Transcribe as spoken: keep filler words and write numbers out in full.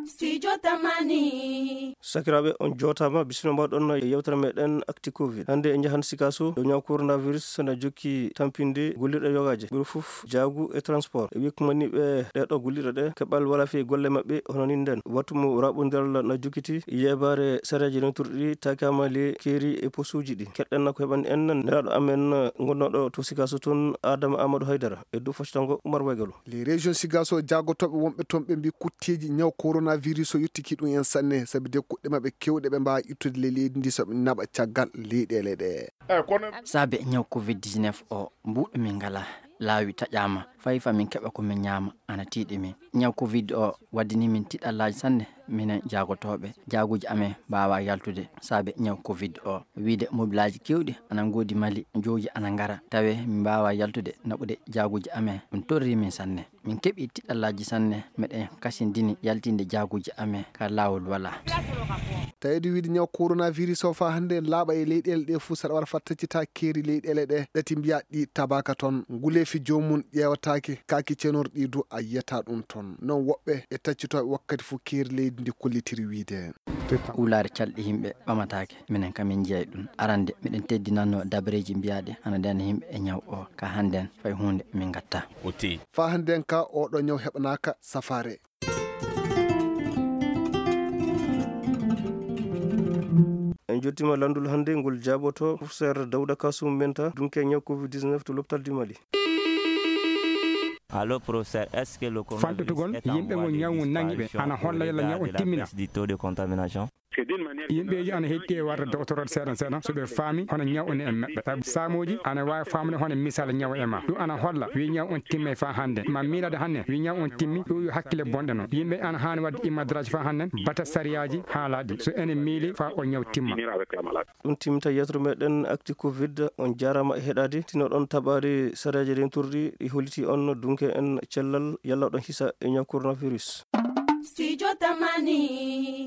Studio Tamani. Sakiraaɓe, on jootaama, bisimilla mbaɗon e yewtere meɗen Actu Covid. Hannde en njahan Sikaso, ɗo ñaw coronavirus na jokki tampinde gollirɗe yogaaje. Ɓuri fof jaagu e transport. E wikkumaniiɓe ɗee ɗo gollirɗe ɗe, keɓal wala fii golle maɓɓe, hono nin nden. Wattu mo raɓondiral na jokkiti, yeebaare sareeji renturɗi, takaama le keeri e posuuji ɗi. Keɗɗen na ko heɓani en nelaaɗo amen gonnooɗo to Sikaso toon, Adama Amadou Haydara, e dow foccango Umar Waygalo. Les régions Sigaso, jaagotooɓe wonɓe toon ɓe mbi kutteeji ñaw coronavirus o yottiki ɗum en sanne, sabi de kuɗɗe maɓɓe kewɗe ɓe mbaawa ittude ley leydi ndi so ɓe naɓa caggal leyɗeele ɗe. Saabe ñaw covid dix-neuf o, mbuuɗo min ngala, laawi taƴaama, fay fa min keɓa ko min ñaama, ana tiiɗi min. Ñaw covid o waddini min tiɗallaaji sanne, minen jaagotooɓe, jaaguuji amen mbaawa yaltude saabe ñaw covid o. Wiide mobilaaji keewɗi ana ngoodi Mali, jooji ana ngara, tawe min mbaawa yaltude naɓude jaaguuji amen, ɗum torri min sanne. Min keɓi tiɗallaaji sanne, meɗen kasindini yaltinde jaaguuji amen ka laawol walaa. Taweede wiide ñaw coronavirus o faa hannde laaɓa e leyɗeele ɗe fuu, saɗa wara faa taccita keeri leyɗeele ɗe, ɗati mbiyaa ɗi tabaaka toon. Nguleefi joomum ƴeewataake, kaaki cenorɗi du a yiyata ɗum toon. Non woɓɓe e taccitooɓe wakkati fuu keeri leydi ndi kollitiri wiide. Wulaare calɗi yimɓe ɓamataake, minen kam min njeyi ɗum. Arande, miɗen teddinannoo dabareeji mbiyaaɗi ana ndena yimɓe e ñaw o. Ka hannden, fay huunde min ngatta. Faa hannden ka, oɗo ñaw heɓanaaka safaare. En jottiima lanndol hannde ngol jaaboto professeur Dawda Kasum Menta, dunke ñaw covid dix-neuf to l'hôpital du Mali. Allo, professeur, est-ce que le coronavirus Fanɗutugol est en yimɓe voie ngol de ñaw ngun nangi ɓe, disparition ana holla yalla ñaw on timmina. Au regard de la baisse du taux de contamination? Yimɓeeji ana hetti e warde doctorate seeɗan seeɗan, so ɓe faami hono ñaw on e maɓɓe. Sabu saamooji ana waawi faamude hono misal ñaw e ma. Ɗum ana holla wi ñaw on timmay faa hannde. Ma miilade hannde wi ñaw on timmi, ɗum yo hakkille bonɗe non. Yimɓe ana haani waɗde imadraji faa hannde, bata sariyaaji haalaaɗi. So enen miili faa o ñaw timma. Ɗum timmita yetro meɗen acti covid. On jaaraama e heɗaade. Tino ɗon taɓaade sariyaaji renturɗi ɗi holliti on dunke en cellal yalla ɗon hisa e ñaw coronavirus. Studio Tamani.